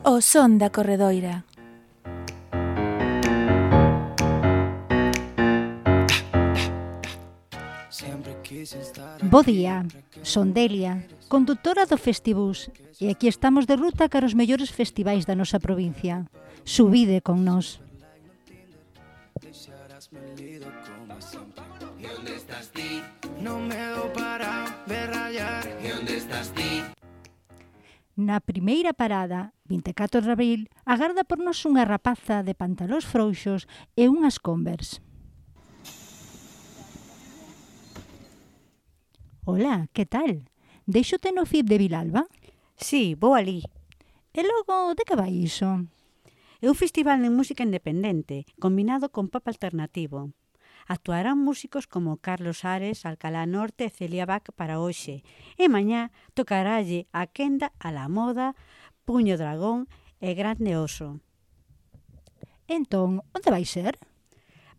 O son da corredoira. Bo día, son Delia, condutora do Festibus, e aquí estamos de ruta cara os mellores festivais da nosa provincia. Subide con nós. Na primeira parada, 24 de abril, agarda por nós unha rapaza de pantalóns frouxos e unhas Converse. Hola, que tal? Deixote no FIB de Vilalba? Sí, vou alí. E logo, de que vai iso? É un festival de música independente, combinado con pop alternativo. Actuarán músicos como Carlos Ares, Alcalá Norte e Celia Bach para hoxe. E mañá tocaralle a Quenda, a la Moda, Puño Dragón e Grande Oso. Entón, onde vai ser?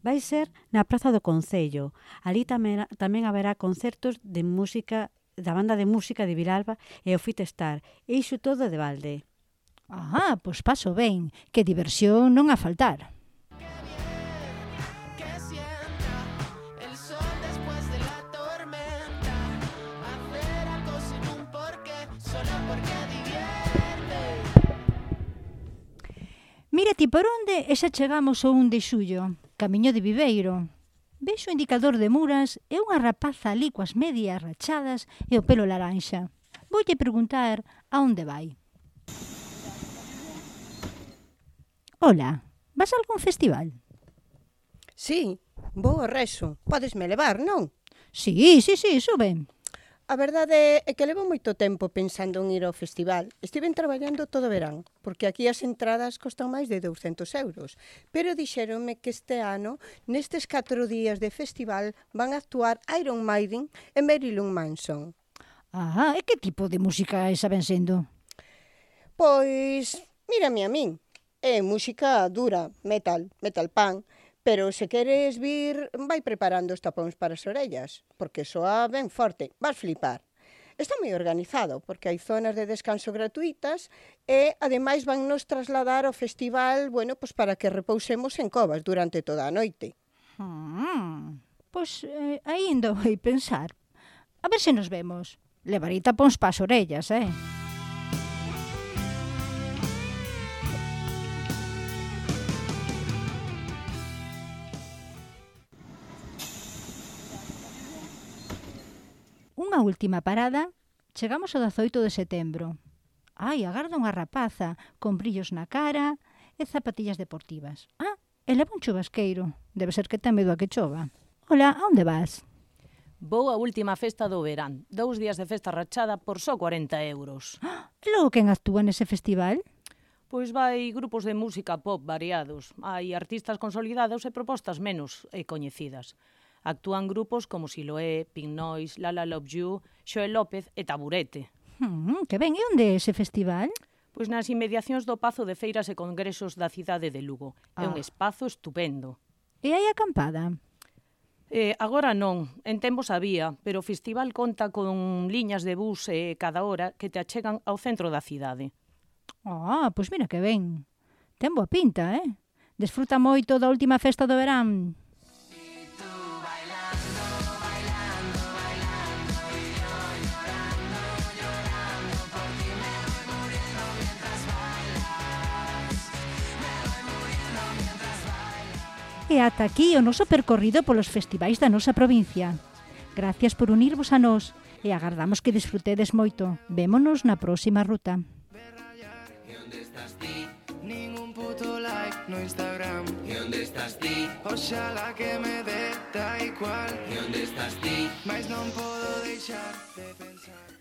Vai ser na Praza do Concello. Ali tamén haberá concertos de música da banda de música de Vilalba e o Fitestar. E iso todo de balde. Ah, pois paso ben, que diversión non a faltar. Mira ti por onde e xa chegamos ao 1 de xullo, camiño de Viveiro. Vexo o indicador de Muras e unha rapaza ali coas medias rachadas e o pelo laranxa. Voulle preguntar a onde vai. Hola, vas a algún festival? Sí, vou ao Reso. Podesme levar, non? Sí, sube. A verdade é que levo moito tempo pensando en ir ao festival. Estiven traballando todo o verán, porque aquí as entradas costan máis de 200 euros. Pero dixéronme que este ano, nestes 4 días de festival, van a actuar Iron Maiden e Marilyn Manson. Ah, e que tipo de música esa ven sendo? Pois, mírame a min. É música dura, metal punk. Pero se queres vir, vai preparando os tapóns para as orellas, porque soa ben forte, vas flipar. Está moi organizado, porque hai zonas de descanso gratuitas e, ademais, van nos trasladar ao festival, bueno, pues para que repousemos en covas durante toda a noite. Pois aínda vai pensar. A ver se nos vemos. Levarei tapóns para as orellas, Unha última parada, chegamos ao 18 de setembro. Ai, agarda unha rapaza con brillos na cara e zapatillas deportivas. Ah, e leva un chubasqueiro. Debe ser que ten medo a que chova. Hola, a onde vas? Vou á última festa do verán. 2 días de festa rachada por só 40 euros. E logo quen actúa nese festival? Pois vai grupos de música pop variados. Hai artistas consolidados e propostas menos coñecidas. Actúan grupos como Siloé, Pink Noise, Lala Love You, Xoel López e Taburete. Que ben, e onde é ese festival? Pois nas inmediacións do Pazo de Feiras e Congresos da cidade de Lugo. É un espazo estupendo. E hai acampada? Agora non, en tempos había, pero o festival conta con liñas de bus cada hora que te achegan ao centro da cidade. Pois mira que ben. Ten boa pinta, Desfruta moito da última festa do verán. E ata aquí o noso percorrido polos festivais da nosa provincia. Gracias por unirvos a nós e agardamos que disfrutedes moito. Vémonos na próxima ruta. E onde estás ti? Ningún puto like no Instagram. E onde estás ti? Oxalá que me dé da igual. E onde estás ti? Mais non podo deixar de pensar.